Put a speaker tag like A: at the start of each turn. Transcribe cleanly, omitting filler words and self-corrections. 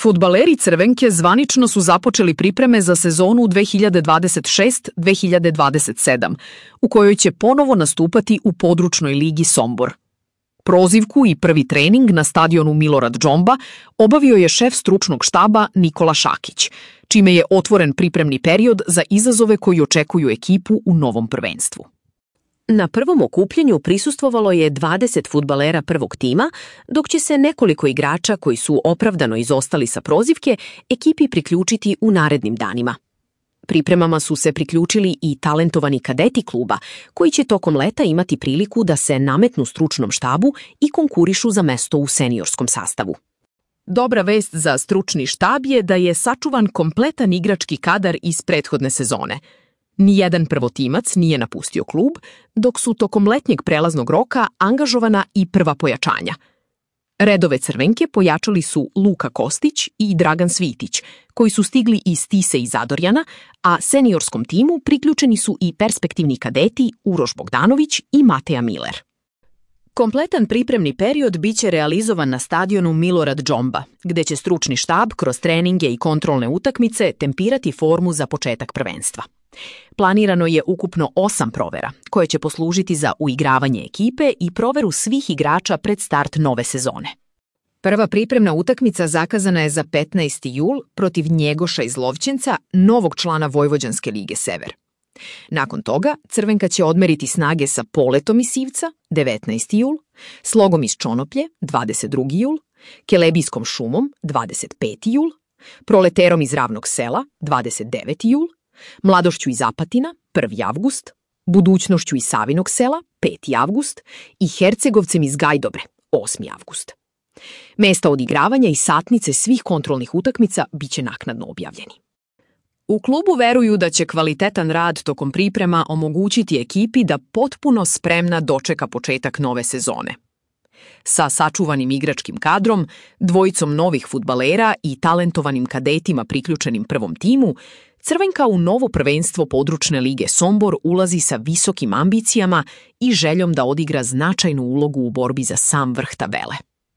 A: Fudbaleri Crvenke zvanično su započeli pripreme za sezonu 2026-2027, u kojoj će ponovo nastupati u područnoj ligi Sombor. Prozivku i prvi trening na stadionu Milorad Džomba obavio je šef stručnog štaba Nikola Šakić, čime je otvoren pripremni period za izazove koji očekuju ekipu u novom prvenstvu.
B: Na prvom okupljanju prisustvovalo je 20 fudbalera prvog tima, dok će se nekoliko igrača koji su opravdano izostali sa prozivke ekipi priključiti u narednim danima. Pripremama su se priključili i talentovani kadeti kluba, koji će tokom leta imati priliku da se nametnu stručnom štabu i konkurišu za mesto u seniorskom sastavu.
A: Dobra vest za stručni štab je da je sačuvan kompletan igrački kadar iz prethodne sezone. Nijedan prvotimac nije napustio klub, dok su tokom letnjeg prelaznog roka angažovana i prva pojačanja. Redove Crvenke pojačali su Luka Kostić i Dragan Svitić, koji su stigli iz Tise i Zadorjana, a seniorskom timu priključeni su i perspektivni kadeti Uroš Bogdanović i Mateja Miler. Kompletan pripremni period biće realizovan na stadionu Milorad Džomba, gde će stručni štab kroz treninge i kontrolne utakmice tempirati formu za početak prvenstva. Planirano je ukupno 8 provera, koje će poslužiti za uigravanje ekipe i proveru svih igrača pred start nove sezone. Prva pripremna utakmica zakazana je za 15. jul protiv Njegoša iz Lovćenca, novog člana Vojvođanske lige Sever. Nakon toga Crvenka će odmeriti snage sa Poletom iz Sivca 19. jul, Slogom iz Čonoplje 22. jul, Kelebijskom šumom 25. jul, Proleterom iz Ravnog sela 29. jul, Mladošću iz Apatina 1. avgust, Budućnošću iz Savinog sela 5. avgust i Hercegovcem iz Gajdobre 8. avgust. Mesta odigravanja i satnice svih kontrolnih utakmica biće naknadno objavljeni. U klubu veruju da će kvalitetan rad tokom priprema omogućiti ekipi da potpuno spremna dočeka početak nove sezone. Sa sačuvanim igračkim kadrom, dvojicom novih fudbalera i talentovanim kadetima priključenim prvom timu, Crvenka u novo prvenstvo područne lige Sombor ulazi sa visokim ambicijama i željom da odigra značajnu ulogu u borbi za sam vrh tabele.